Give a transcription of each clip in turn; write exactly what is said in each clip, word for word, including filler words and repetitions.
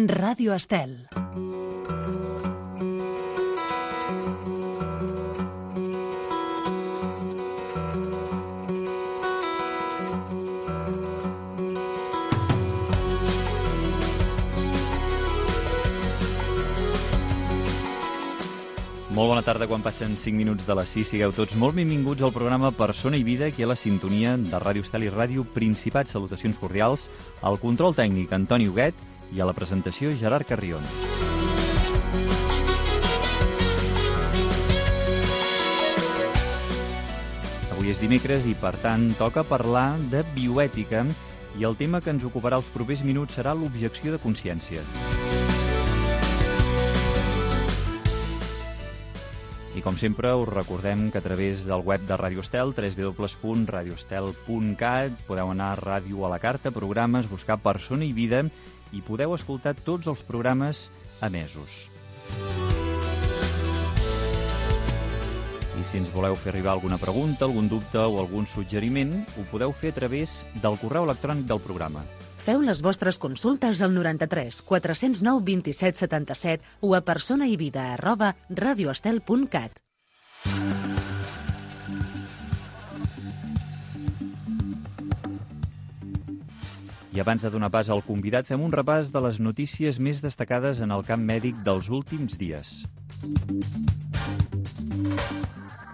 Ràdio Estel. Molt bona tarda, quan passen cinc minuts de les sis. Sigueu tots molt benvinguts al programa Persona i Vida, aquí a la sintonia de Ràdio Estel i Ràdio Principat. Salutacions cordials al control tècnic Antoni Huguet i a la presentació Gerard Carrion. Avui és dimecres i, per tant, toca parlar de bioètica i el tema que ens ocuparà els propers minuts serà l'objecció de consciència. I com sempre us recordem que a través del web de Ràdio Estel, w w w punt radio estel punt cat, podeu anar a Ràdio a la Carta, programes, buscar Persona i Vida i podeu escoltar tots els programes emesos. I si ens voleu fer arribar alguna pregunta, algun dubte o algun suggeriment, ho podeu fer a través del correu electrònic del programa. Feu les vostres consultes al noranta-tres quatre cents nou vint-i-set setanta-set o a personaivida arroba radioestel punt cat. I abans de donar pas al convidat, fem un repàs de les notícies més destacades en el camp mèdic dels últims dies.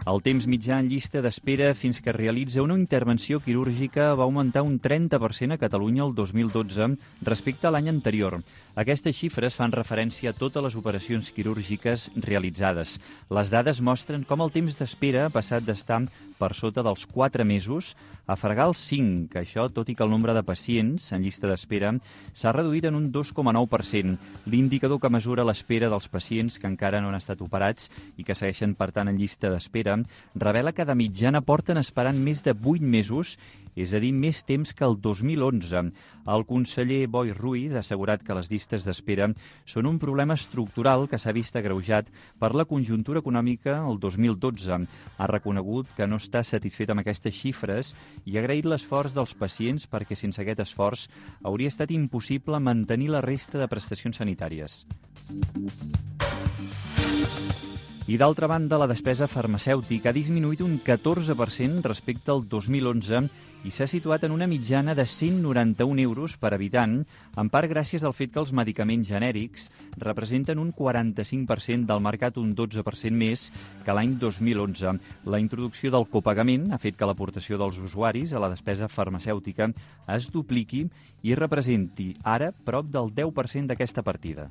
El temps mitjà en llista d'espera fins que es realitza una intervenció quirúrgica va augmentar un trenta per cent a Catalunya el dos mil dotze respecte a l'any anterior. Aquestes xifres fan referència a totes les operacions quirúrgiques realitzades. Les dades mostren com el temps d'espera ha passat d'estar per sota dels quatre mesos a fregar els cinc, que això, tot i que el nombre de pacients en llista d'espera s'ha reduït en un dos coma nou per cent. L'indicador que mesura l'espera dels pacients que encara no han estat operats i que segueixen, per tant, en llista d'espera revela que de mitjana porten esperant més de vuit mesos, és a dir, més temps que el dos mil onze. El conseller Boi Ruiz ha assegurat que les llistes d'espera són un problema estructural que s'ha vist agreujat per la conjuntura econòmica el dos mil dotze. Ha reconegut que no està satisfet amb aquestes xifres i ha agraït l'esforç dels pacients perquè sense aquest esforç hauria estat impossible mantenir la resta de prestacions sanitàries. I d'altra banda, la despesa farmacèutica ha disminuït un catorze per cent respecte al dos mil onze i s'ha situat en una mitjana de cent noranta-un euros per habitant, en part gràcies al fet que els medicaments genèrics representen un quaranta-cinc per cent del mercat, un dotze per cent més que l'any dos mil onze. La introducció del copagament ha fet que l'aportació dels usuaris a la despesa farmacèutica es dupliqui i representi ara prop del deu per cent d'aquesta partida.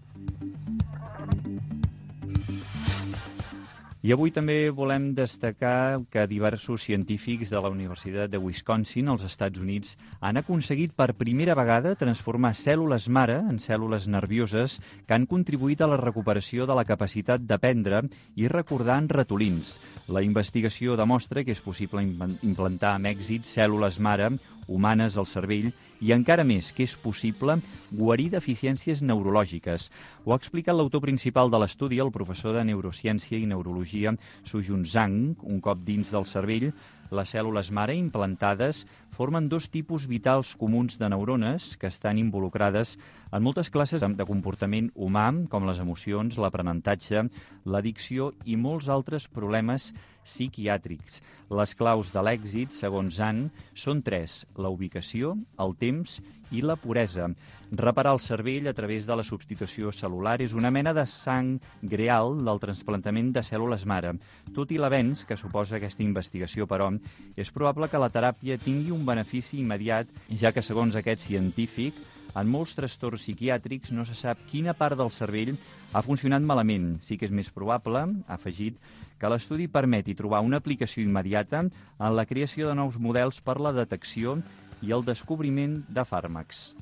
I avui també volem destacar que diversos científics de la Universitat de Wisconsin, als Estats Units, han aconseguit per primera vegada transformar cèl·lules mare en cèl·lules nervioses que han contribuït a la recuperació de la capacitat d'aprendre i recordar en ratolins. La investigació demostra que és possible implantar amb èxit cèl·lules mare humanes al cervell i encara més que és possible guarir deficiències neurològiques. Ho ha explicat l'autor principal de l'estudi, el professor de Neurociència i Neurologia, Sujun Zhang. Un cop dins del cervell, les cèl·lules mare implantades formen dos tipus vitals comuns de neurones que estan involucrades en moltes classes de comportament humà, com les emocions, l'aprenentatge, l'addicció i molts altres problemes psiquiàtrics. Les claus de l'èxit, segons Zhang, són tres: la ubicació, el temps i la puresa. Reparar el cervell a través de la substitució cel·lular és una mena de sang greal del trasplantament de cèl·lules mare. Tot i l'avenç que suposa aquesta investigació, però, és probable que la teràpia tingui un benefici immediat, ja que, segons aquest científic, en molts trastorns psiquiàtrics no se sap quina part del cervell ha funcionat malament. Sí que és més probable, ha afegit, que l'estudi permeti trobar una aplicació immediata en la creació de nous models per la detecció i el descobriment de fàrmacs.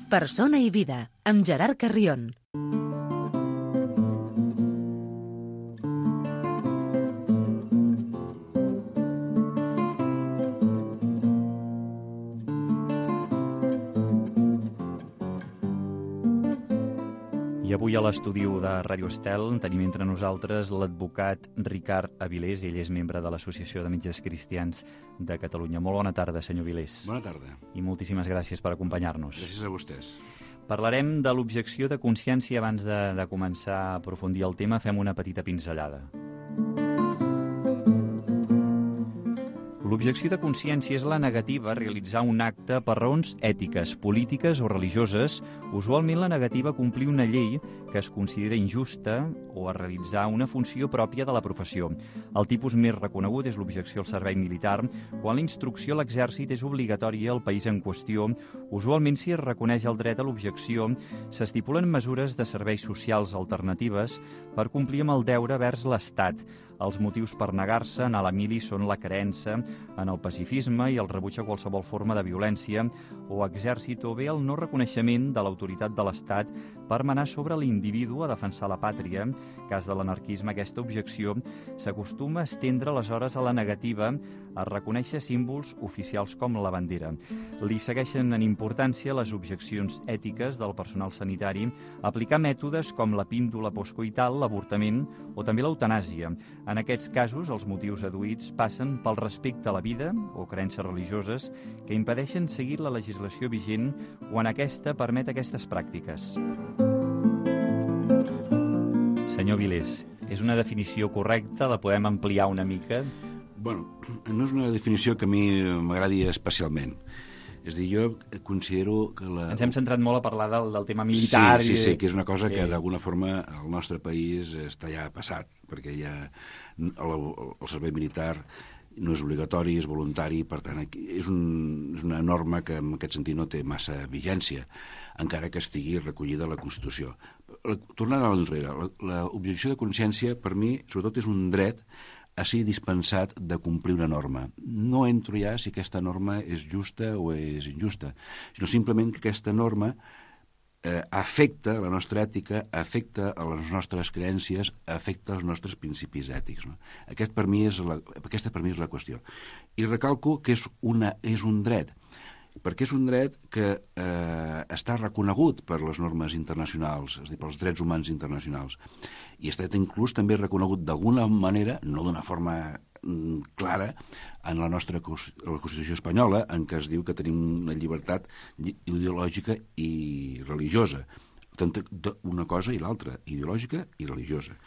Persona i Vida, amb Gerard Carrion. I avui a l'estudi de Ràdio Estel tenim entre nosaltres l'advocat Ricard Avilés. Ell és membre de l'Associació de Metges Cristians de Catalunya. Molt bona tarda, senyor Avilés. Bona tarda. I moltíssimes gràcies per acompanyar-nos. Gràcies a vostès. Parlarem de l'objecció de consciència. Abans de, de començar a aprofundir el tema, fem una petita pinzellada. L'objecció de consciència és la negativa a realitzar un acte per raons ètiques, polítiques o religioses, usualment la negativa a complir una llei que es considera injusta o a realitzar una funció pròpia de la professió. El tipus més reconegut és l'objecció al servei militar, quan la instrucció a l'exèrcit és obligatòria al país en qüestió. Usualment, si es reconeix el dret a l'objecció, s'estipulen mesures de serveis socials alternatives per complir amb el deure vers l'Estat. Els motius per negar-se a anar a la mili són la creença en el pacifisme i el rebuig a qualsevol forma de violència o exèrcit, o bé el no reconeixement de l'autoritat de l'Estat per manar sobre l'individu a defensar la pàtria. En cas de l'anarquisme, aquesta objecció s'acostuma a estendre aleshores a la negativa a reconèixer símbols oficials com la bandera. Li segueixen en importància les objeccions ètiques del personal sanitari a aplicar mètodes com la píndola postcoital, l'avortament o també l'eutanàsia. En aquests casos, els motius adduïts passen pel respecte a la vida o creences religioses que impedeixen seguir la legislació vigent quan aquesta permet aquestes pràctiques. Senyor Avilés, és una definició correcta? La podem ampliar una mica? Bueno, no és una definició que a mi m'agradi especialment. És a dir, jo considero que la... Ens hem centrat molt a parlar del, del tema militar. Sí, sí, i... sí, que és una cosa sí. que d'alguna forma el nostre país està ja passat, perquè ja el, el servei militar no és obligatori, és voluntari, per tant, és, un, és una norma que en aquest sentit no té massa vigència, encara que estigui recollida a la Constitució. Tornant a l'enrere, l'objecció de consciència, per mi, sobretot és un dret a ser dispensat de complir una norma. No entro ja si aquesta norma és justa o és injusta, sinó simplement que aquesta norma eh, afecta la nostra ètica, afecta a les nostres creences, afecta els nostres principis ètics. No? Aquest per mi és la, aquesta per mi és la qüestió. I recalco que és, una, és un dret, perquè és un dret que eh, està reconegut per les normes internacionals, és a dir, pels drets humans internacionals, i està inclús també reconegut d'alguna manera, no d'una forma mm, clara, en la nostra la Constitució espanyola, en què es diu que tenim una llibertat ideològica i religiosa, tant una cosa i l'altra, ideològica i religiosa.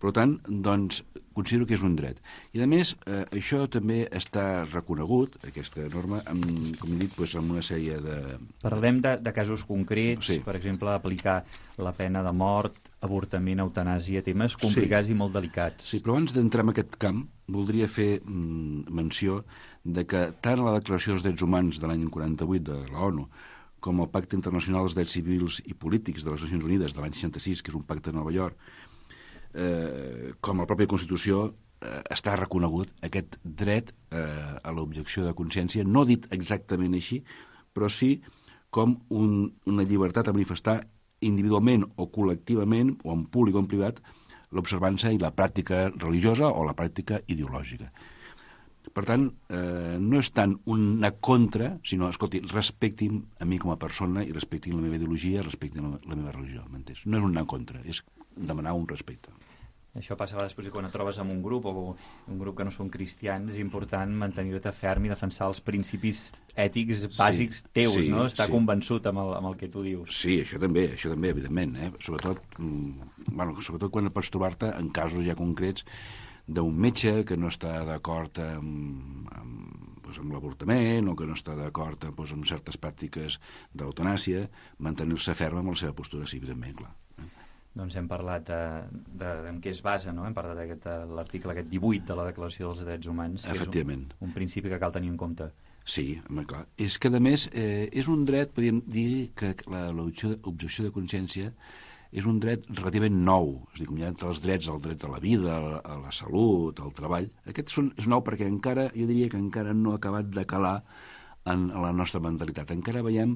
Per tant, doncs, considero que és un dret. I, a més, eh, això també està reconegut, aquesta norma, amb, com he dit, doncs, amb una sèrie de... Parlem de, de casos concrets, sí. Per exemple, aplicar la pena de mort, avortament, eutanàsia, temes complicats sí. I molt delicats. Sí, però abans d'entrar en aquest camp, voldria fer mm, menció de que tant a la Declaració dels Drets Humans de l'any quaranta-vuit de la ONU com al Pacte Internacional dels Drets Civils i Polítics de les Nacions Unides de l'any seixanta-sis, que és un pacte de Nova York, Eh, com a la pròpia Constitució eh, està reconegut aquest dret eh, a l'objecció de consciència, no dit exactament així, però sí com un, una llibertat a manifestar individualment o col·lectivament, o en públic o en privat, l'observança i la pràctica religiosa o la pràctica ideològica. Per tant, eh, no és tant una contra, sinó, escolti, respectin a mi com a persona i respectin la meva ideologia, respectin la, la meva religió, m'entens? No és una contra, és demanar un respecte. Això passa a vegades perquè quan et trobes en un grup o un grup que no són cristians és important mantenir-te ferm i defensar els principis ètics bàsics sí, teus, sí, no? Estar sí. convençut amb el, amb el que tu dius. Sí, això també, això també, evidentment. Eh? Sobretot, bueno, sobretot quan pots trobar-te en casos ja concrets d'un metge que no està d'acord amb, amb, doncs amb l'avortament o que no està d'acord doncs, amb certes pràctiques de l'eutanàsia, mantenir-se ferm amb la seva postura, sí, evidentment, clar. Doncs hem parlat de, de, de en què es basa, no? Hem parlat d'aquest l'article aquest divuit de la Declaració dels Drets Humans, que efectivament. És un, un principi que cal tenir en compte. Sí, home, clar. És que, a més, eh, és un dret, podríem dir que l'objecció de consciència és un dret relativament nou. És a dir, com hi ha entre els drets, el dret a la vida, a la salut, al treball. Aquest són, és nou perquè encara, jo diria que encara no ha acabat de calar en, en la nostra mentalitat. Encara veiem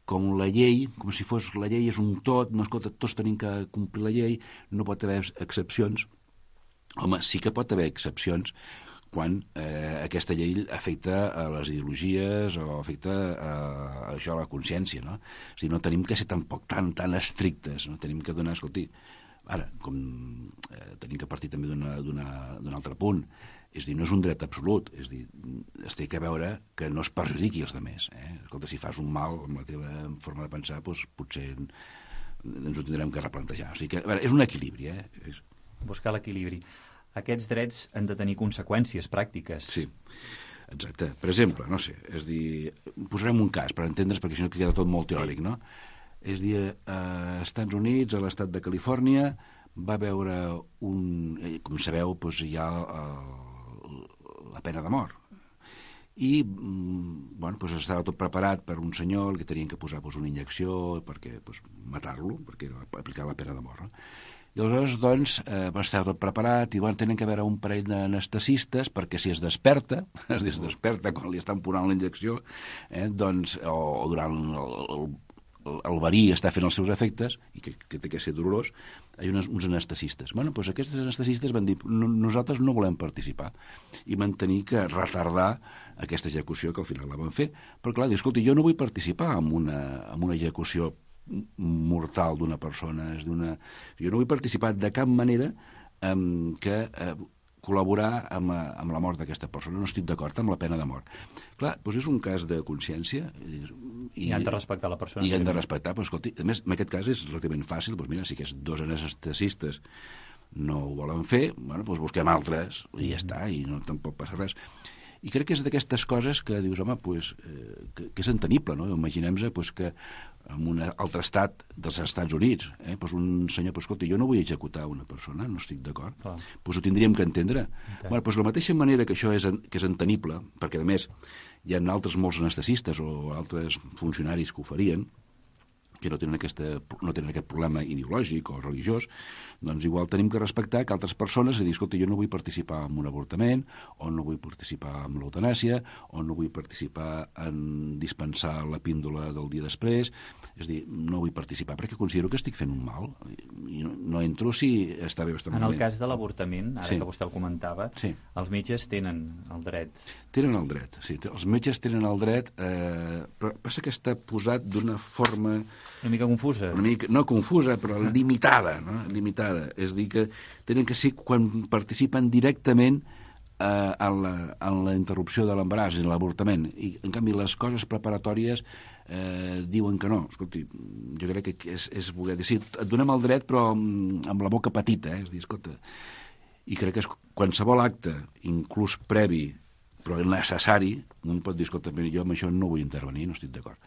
com la llei, com si fos la llei és un tot, no, escolta, tots tenim que complir la llei, no pot haver excepcions. Home, sí que pot haver excepcions quan eh, aquesta llei afecta a les ideologies o afecta a, a això, a la consciència, no? O sigui, no tenim que ser tampoc tan, tan estrictes, no tenim que donar, escolti, ara, com eh, tenim que partir també d'un altre punt, és dir, no és un dret absolut, és dir, es té que veure que no es perjudiqui els altres. Eh? Escolta, si fas un mal amb la teva forma de pensar, doncs potser ens ho tindrem que replantejar. O sigui que, a veure, és un equilibri. Eh? És... Buscar l'equilibri. Aquests drets han de tenir conseqüències pràctiques. Sí, exacte. Per exemple, no sé, és dir, posarem un cas per entendre's, perquè si no queda tot molt teòric, sí. No? És dir, als Estats Units, a l'estat de Califòrnia, va veure un... Com sabeu, doncs hi ha el, la pena de mort. I, bueno, doncs estava tot preparat per un senyor que tenien que posar doncs, una injecció perquè doncs, matar-lo, perquè aplicar la pena de mort. No? I aleshores, doncs, eh, estava tot preparat i van tenir que veure un parell d'anestesistes perquè si es desperta, es desperta quan li estan posant la injecció, eh, doncs, o, o durant el, el, el verí està fent els seus efectes, i que, que té que ser dolorós, hi ha uns, uns anestesistes. Bueno, doncs aquests anestesistes van dir, no, nosaltres no volem participar, i van tenir que retardar aquesta execució, que al final la van fer, però clar, dir, escolta, jo no vull participar en una, en una execució mortal d'una persona, és d'una... Jo no vull participar de cap manera en que eh, col·laborar amb, amb la mort d'aquesta persona, no estic d'acord amb la pena de mort. Clar, doncs és un cas de consciència i, i han de respectar la persona. I han de respectar, però escolti, a més, en aquest cas és relativament fàcil, doncs mira, si aquests dos anestesistes no ho volen fer, bueno, doncs busquem altres i ja està, i no tampoc passa res. I crec que és d'aquestes coses que dius, home, pues, eh, que, que és entenible, no? Imaginem-se pues, que en un altre estat dels Estats Units, eh, pues un senyor, pues, escolta, jo no vull executar una persona, no estic d'acord, ah. pues ho tindríem que entendre. Okay. Bueno, pues, de la mateixa manera que això és, que és entenible, perquè a més hi ha altres molts anestesistes o altres funcionaris que ho farien, que no tenen, aquesta, no tenen aquest problema ideològic o religiós, doncs igual tenim que respectar que altres persones a dir, escolta, jo no vull participar en un avortament, o no vull participar en l'eutanàsia, o no vull participar en dispensar la píndola del dia després, és dir, no vull participar perquè considero que estic fent un mal, i no, no entro si està bé o està malament. En el cas de l'avortament, ara sí. que vostè el comentava, sí. els metges tenen el dret. Tenen el dret, sí, els metges tenen el dret, eh, però passa que està posat d'una forma... Una mica confusa. Una mica, no confusa, però limitada, no? Limitada. És a dir, que tenen que ser quan participen directament eh, en, la, en la interrupció de l'embaràs, en l'avortament. I, en canvi, les coses preparatòries eh, diuen que no. Escolti, jo crec que és, és voler dir, sí, et donem el dret, però amb la boca petita, eh? És a dir, escolta... I crec que és qualsevol acte, inclús previ, però necessari, un pot dir, escolta, jo amb això no vull intervenir, no estic d'acord.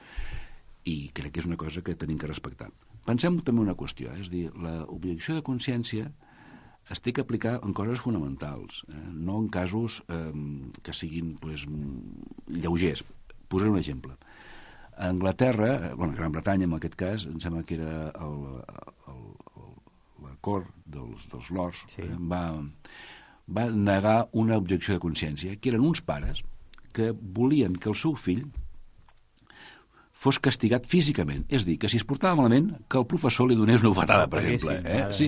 I crec que és una cosa que tenim que respectar. Pensem també una qüestió, eh? És a dir, l'objecció de consciència es té que aplicar en coses fonamentals, eh? No en casos eh, que siguin pues, lleugers. Posaré un exemple. A Anglaterra, bueno, a Gran Bretanya en aquest cas, em sembla que era el, el, el, la cort dels, dels lords, sí. eh? va, va negar una objecció de consciència, que eren uns pares que volien que el seu fill fos castigat físicament. És a dir, que si es portava malament, que el professor li donés una bufetada, per exemple. Eh? Sí.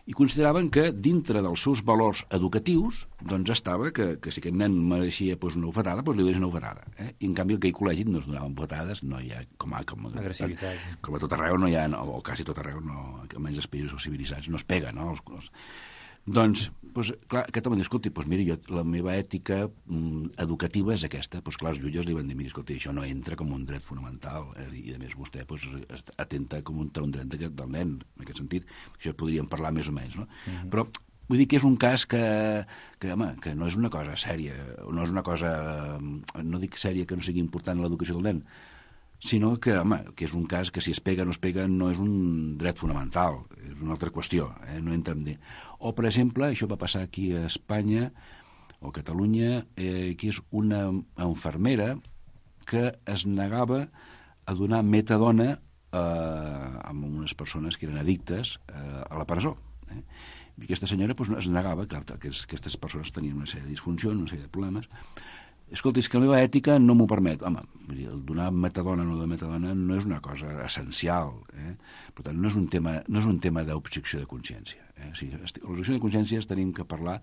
I consideraven que dintre dels seus valors educatius doncs estava que, que si aquest nen mereixia pues, una bufetada, doncs li donés una bufetada. Eh? I en canvi aquell col·legi no es donaven bufetades, no hi ha com a, com a, agressivitat. Com a tot arreu no hi ha, o quasi tot arreu, no, almenys els països civilitzats, no es pega, no? Els, els, Doncs, doncs, clar, aquest home diu, escolta, doncs mira, jo, la meva ètica mm, educativa és aquesta. Doncs clar, els jutges li van dir, mira, escolta, això no entra com un dret fonamental, eh? I a més vostè doncs, atenta com un, un dret del nen, en aquest sentit. Això podríem parlar més o menys, no? Uh-huh. Però vull dir que és un cas que, que, home, que no és una cosa sèria, no és una cosa, no dic sèria que no sigui important l'educació del nen, sinó que, home, que és un cas que si es pega o no es pega no és un dret fonamental, és una altra qüestió, eh? No entra en dir. O, per exemple, això va passar aquí a Espanya o a Catalunya, eh, que és una infermera que es negava a donar metadona eh, a unes persones que eren addictes eh, a la presó. Eh? I aquesta senyora doncs, es negava, clar, que aquestes persones tenien una sèrie de disfuncions, una sèrie de problemes. Escolta, és que la meva ètica no m'ho permet. Home, el donar metadona o no de metadona no és una cosa essencial. Eh? Per tant, no és un tema, no és un tema d'objecció de consciència. Eh? O sigui, l'objecció de consciència tenim que parlar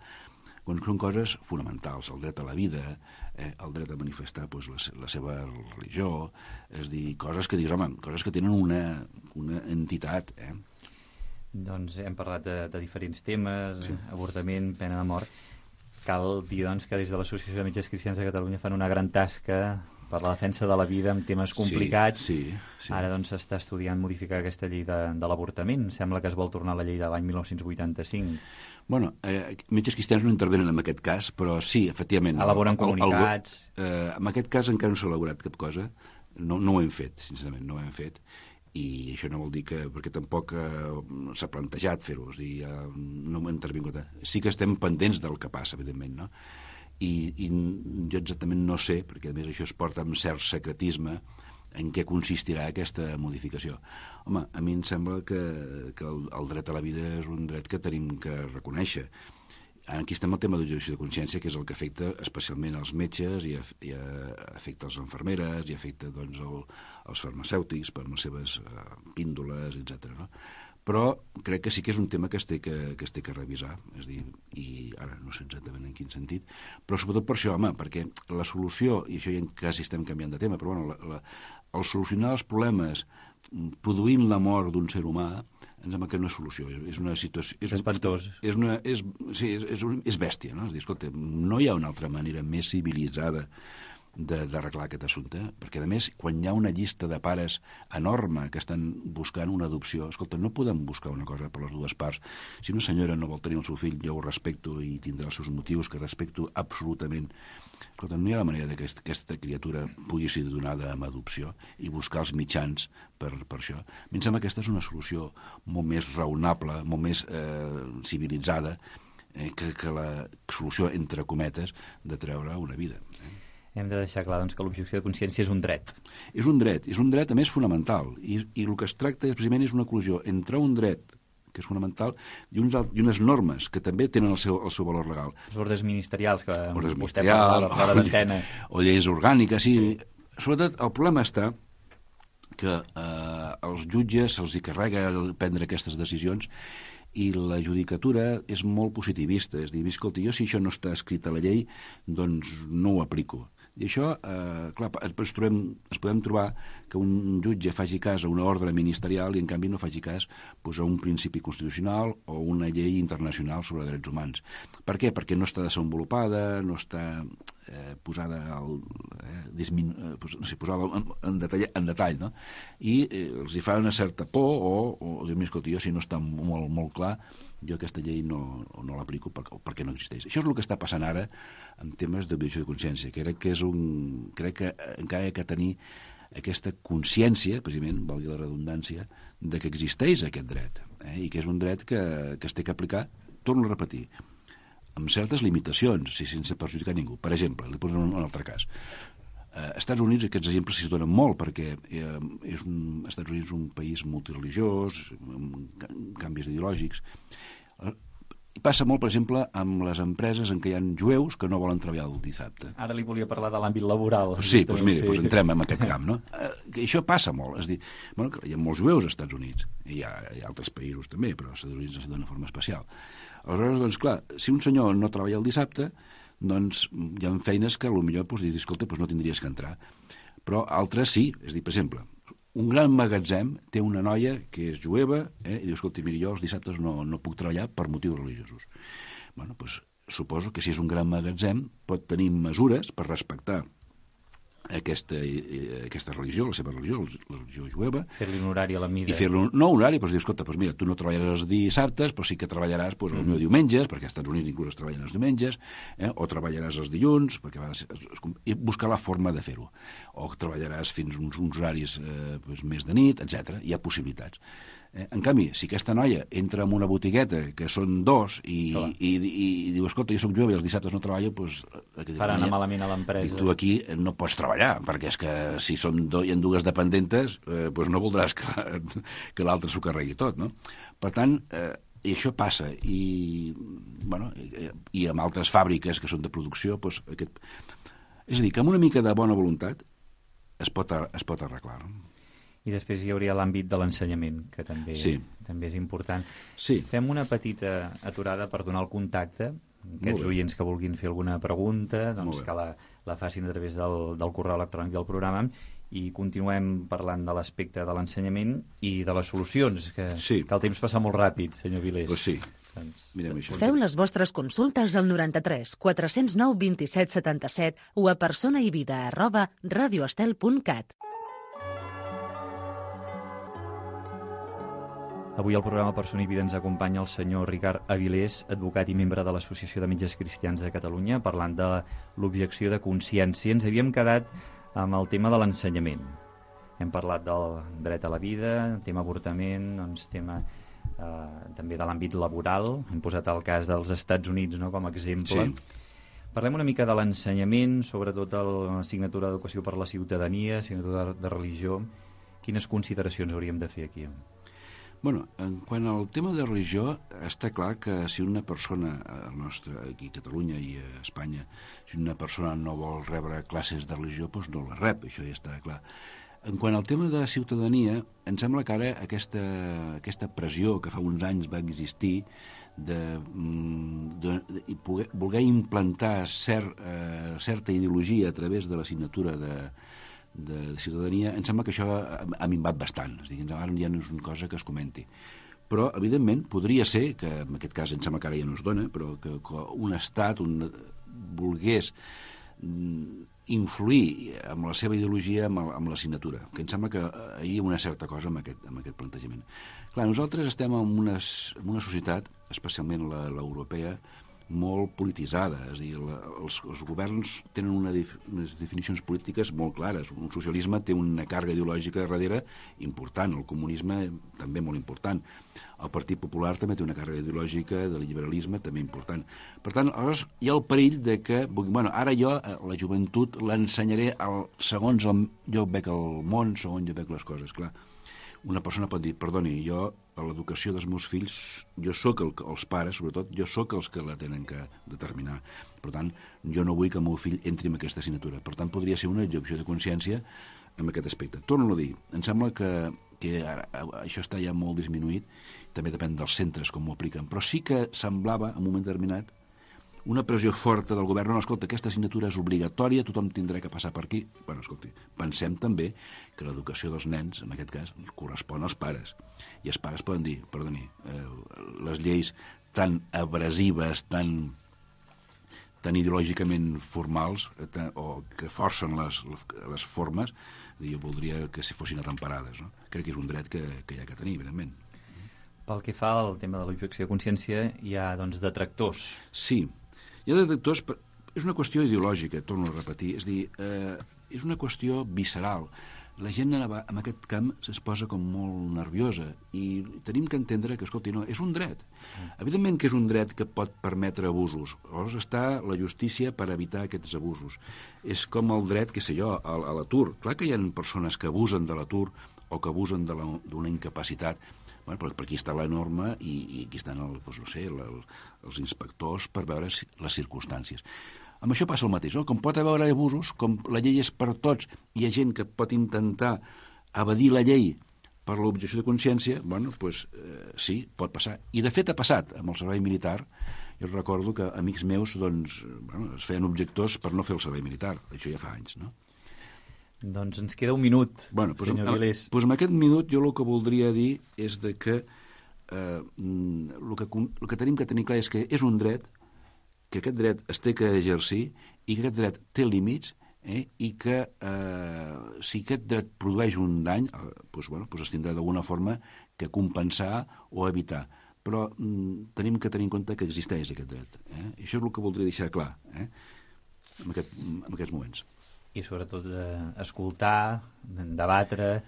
quan són coses fonamentals, el dret a la vida, eh, el dret a manifestar pues, la, la seva religió, és a dir, coses que dius, home, coses que tenen una, una entitat. Eh? Doncs hem parlat de, de diferents temes, sí. avortament, pena de mort. Cal dir, doncs, que des de l'Associació de Metges Cristians de Catalunya fan una gran tasca per la defensa de la vida amb temes complicats. Sí, sí, sí. Ara doncs s'està estudiant modificar aquesta llei de, de l'avortament. Sembla que es vol tornar a la llei de l'any dinou vuitanta-cinc. Bueno, eh, metges cristians no intervenen en aquest cas, però sí, efectivament... Elaboren comunicats... El, el, eh, en aquest cas encara no s'ha elaborat cap cosa. No, no ho hem fet, sincerament, no ho hem fet. I això no vol dir que... perquè tampoc eh, s'ha plantejat fer-ho, és a dir, eh, no m'he intervingut. Sí que estem pendents del que passa, evidentment, no? I, i jo exactament no sé, perquè a més això es porta amb cert secretisme, en què consistirà aquesta modificació. Home, a mi em sembla que, que el, el dret a la vida és un dret que tenim que reconèixer. Aquí estem al tema d'objecció de consciència, que és el que afecta especialment als metges i, i afecta les infermeres i afecta doncs, el, els farmacèutics per les seves uh, píndoles, etcètera. No? Però crec que sí que és un tema que es té que, que, es té que revisar, és dir, i ara no sé exactament en quin sentit, però sobretot per això, home, perquè la solució, i això ja quasi estem canviant de tema, però bueno, la, la, el solucionar els problemes produint la mort d'un ser humà, em sembla que no és solució, és una situació... És espantós. És, una, és, sí, és, és, un, és bèstia, no? És dir, escolta, no hi ha una altra manera més civilitzada d'arreglar aquest assumpte, perquè a més quan hi ha una llista de pares enorme que estan buscant una adopció, escolta, no podem buscar una cosa per les dues parts. Si una senyora no vol tenir el seu fill, jo ho respecto i tindrà els seus motius, que respecto absolutament. Escolta, no hi ha la manera que aquesta criatura pugui ser donada amb adopció i buscar els mitjans per, per això. A mi em sembla que aquesta és una solució molt més raonable, molt més eh, civilitzada eh, que, que la solució, entre cometes, de treure una vida. Eh? Hem de deixar clar doncs, que l'objecció de consciència és un dret. És un dret, és un dret a més fonamental, i, i el que es tracta és, precisament és una col·lisió entre un dret que és fonamental i, uns, i unes normes que també tenen el seu, el seu valor legal. Les ordres ministerials, que ordres vostè parla fora d'antena. O lleis orgàniques, sí. Sobretot el problema està que eh, els jutges se'ls hi carrega prendre aquestes decisions i la judicatura és molt positivista, és dir, escolta, jo si això no està escrit a la llei, doncs no ho aplico. I això, eh, clar, ens, trobem, ens podem trobar que un jutge faci cas a una ordre ministerial i en canvi no faci cas pues, a un principi constitucional o una llei internacional sobre drets humans. Per què? Perquè no està desenvolupada, no està eh, posada, al, eh, disminu, eh, no sé, posada en, en, detall, en detall, no? I eh, els hi fa una certa por o, o dir-me, escolta, jo si no està molt, molt clar, jo aquesta llei no, no l'aplico perquè, perquè no existeix. Això és el que està passant ara en temes d'objecció de consciència. Crec que, és un, crec que encara hi ha que tenir aquesta consciència, precisament, valgui la redundància, de que existeix aquest dret, eh? I que és un dret que, que es té que aplicar, torno a repetir, amb certes limitacions, si sense perjudicar ningú. Per exemple, li posaré un, un altre cas. Eh, Estats Units, aquests exemples s'hi donen molt, perquè eh, és un, Estats Units és un país multireligiós, amb canvis ideològics. Eh, Passa molt, per exemple, amb les empreses en què hi ha jueus que no volen treballar el dissabte. Ara li volia parlar de l'àmbit laboral. Sí, doncs mira, doncs entrem en aquest camp, no? Eh, això passa molt. És dir, bueno, hi ha molts jueus als Estats Units, i hi ha, hi ha altres països també, però als Estats Units d'una forma especial. Aleshores, doncs clar, si un senyor no treballa el dissabte, doncs hi ha feines que potser doncs, dius, escolta, doncs no tindries que entrar. Però altres sí, és dir, per exemple, un gran magatzem té una noia que és jueva, eh, i diu, escolta, mira, jo els dissabtes no, no puc treballar per motius religiosos. Bueno, doncs suposo que si és un gran magatzem pot tenir mesures per respectar aquesta, aquesta religió, la seva religió, la religió jueva. Fer-li un horari a la mida. I fer-li un no, un horari, doncs dir, escolta, doncs mira, tu no treballaràs els dissabtes, però sí que treballaràs doncs, mm. el diumenges, perquè als Estats Units inclús es treballen els diumenges, eh, o treballaràs els dilluns, perquè va, i buscar la forma de fer-ho. O treballaràs fins uns, uns horaris eh, doncs, més de nit, etcètera. Hi ha possibilitats. Eh, en canvi, si aquesta noia entra en una botigueta que són dos i, i, i, i, i diu, escolta, jo soc jove i els dissabtes no treballo, doncs... Farà anar malament a l'empresa. I tu aquí no pots treballar, perquè és que si són do, hi ha dues dependentes, eh, doncs no voldràs que, que l'altre s'ho carregui tot, no? Per tant, eh, i això passa, i, bueno, i, i amb altres fàbriques que són de producció, doncs aquest... És a dir, que amb una mica de bona voluntat es pot, es pot arreglar, no? I després hi hauria l'àmbit de l'ensenyament, que també, sí. també és important. Sí. Fem una petita aturada per donar el contacte Aquests oients que vulguin fer alguna pregunta, doncs que la, la facin a través del, del correu electrònic del programa, i continuem parlant de l'aspecte de l'ensenyament i de les solucions, que, sí. que el temps passa molt ràpid, senyor Vilés. Pues sí. Doncs... Mirem això. Feu les vostres consultes al noranta-tres quatre cents nou vint-i-set setanta-set o a personaivida arroba radioestel punt cat. Avui al programa Persona i Vida ens acompanya el senyor Ricard Avilés, advocat i membre de l'Associació de Metges Cristians de Catalunya, parlant de l'objecció de consciència. Ens havíem quedat amb el tema de l'ensenyament. Hem parlat del dret a la vida, tema avortament, doncs tema eh, també de l'àmbit laboral. Hem posat el cas dels Estats Units, no?, com a exemple. Sí. Parlem una mica de l'ensenyament, sobretot de l'assignatura d'educació per la ciutadania, assignatura de, de religió. Quines consideracions hauríem de fer aquí? Bueno, en quant al tema de religió, està clar que si una persona, el nostre, aquí a Catalunya i a Espanya, si una persona no vol rebre classes de religió, doncs no la rep, això ja està clar. En quant al tema de ciutadania, em sembla que ara aquesta, aquesta pressió que fa uns anys va existir de, de, de poder, voler implantar cert, eh, certa ideologia a través de l'assignatura de de ciutadania, em sembla que això ha, ha minvat bastant. És dir, ara ja no és una cosa que es comenti. Però, evidentment, podria ser, que en aquest cas em sembla que ara ja no es dona, però que, que un estat un, volgués influir amb la seva ideologia amb, amb l'assignatura, que em sembla que hi ha una certa cosa amb aquest, amb aquest plantejament. Clar, nosaltres estem en una, en una societat, especialment l'europea, molt polititzada, és a dir, la, els, els governs tenen una dif, unes definicions polítiques molt clares. Un socialisme té una càrrega ideològica darrere important, el comunisme també molt important, el Partit Popular també té una càrrega ideològica de liberalisme també important. Per tant, aleshores hi ha el perill de que, bueno, ara jo, la joventut, l'ensenyaré el, segons el, jo veig el món, segons jo veig les coses, clar. Una persona pot dir, perdoni, jo a l'educació dels meus fills, jo sóc el, els pares, sobretot, jo sóc els que la tenen que determinar. Per tant, jo no vull que el meu fill entri en aquesta assignatura. Per tant, podria ser una objecció de consciència en aquest aspecte. Torno a dir, em sembla que, que ara, això està ja molt disminuït, també depèn dels centres com ho apliquen, però sí que semblava, en un moment determinat, una pressió forta del govern. No, escolta, aquesta assignatura és obligatòria, tothom tindrà que passar per aquí. Bueno, escolti, pensem també que l'educació dels nens, en aquest cas, correspon als pares. I els pares poden dir, perdoni, eh, les lleis tan abrasives, tan, tan ideològicament formals, eh, tan, o que forcen les, les formes, jo voldria que si fossin atemperades. No? Crec que és un dret que, que hi ha que tenir, evidentment. Pel que fa al tema de l'objecció de consciència, hi ha, doncs, detractors. Sí. Hi ha detractors, és una qüestió ideològica, torno a repetir, és dir, eh, és una qüestió visceral. La gent en aquest camp es posa com molt nerviosa i tenim que entendre que, escolti, no, és un dret. Mm. Evidentment que és un dret que pot permetre abusos. Llavors està la justícia per evitar aquests abusos. És com el dret, què sé jo, a, a l'atur. Clar que hi ha persones que abusen de l'atur o que abusen d'una incapacitat. Bueno, però per aquí està la norma i, i aquí estan el, doncs, no sé, la, els inspectors per veure les circumstàncies. Amb això passa el mateix, no? Com pot haver abusos, com la llei és per tots, hi ha gent que pot intentar evadir la llei per l'objecció de consciència, bueno, doncs eh, sí, pot passar. I de fet ha passat amb el servei militar. Jo recordo que amics meus, doncs, bueno, es feien objectors per no fer el servei militar. Això ja fa anys, no? Doncs ens queda un minut, bueno, pues, senyor Vilés. Doncs amb aquest minut jo el que voldria dir és de que, eh, el que el que tenim que tenir clar és que és un dret, que aquest dret es té que exercir i que aquest dret té límits, eh, i que eh, si aquest dret produeix un dany, eh, doncs, bueno, doncs es tindrà d'alguna forma que compensar o evitar. Però mm, tenim que tenir en compte que existeix aquest dret. Eh? I això és el que voldria deixar clar eh? en, aquest, en aquests moments. I sobretot eh, escoltar, debatre,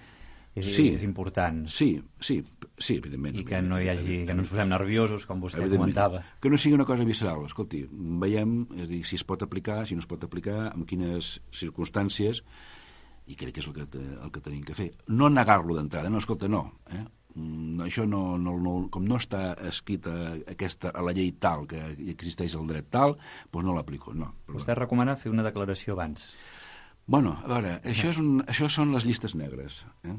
és, sí, és important. Sí, sí, sí, evidentment. I que no hi hagi, que no ens posem nerviosos, com vostè comentava. Que no sigui una cosa visceral. Escolti, veiem, és a dir, si es pot aplicar, si no es pot aplicar, en quines circumstàncies, i crec que és el que, el que tenim que fer. No negar-lo d'entrada, no, escolta, no. Eh? Això no, no, no, com no està escrit a, aquesta, a la llei tal, que existeix el dret tal, doncs no l'aplico, no. Vostè recomana fer una declaració abans. Bueno, a veure, això, és un, això són les llistes negres. Eh?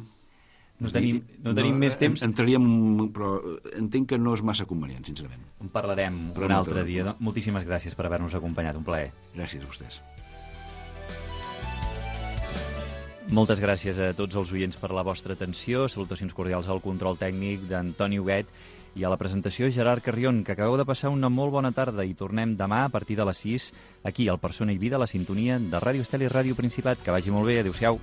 No tenim, no tenim no, més temps. Entraríem, però entenc que no és massa convenient, sincerament. En parlarem però un altre dia. Moltíssimes gràcies per haver-nos acompanyat, un plaer. Gràcies a vostès. Moltes gràcies a tots els oients per la vostra atenció. Salutacions cordials al control tècnic d'Antoni Huguet i a la presentació Gerard Carrion, que acabeu de passar una molt bona tarda i tornem demà a partir de les sis aquí al Persona i Vida, a la sintonia de Ràdio Estel i Ràdio Principat. Que vagi molt bé. Adéu-siau.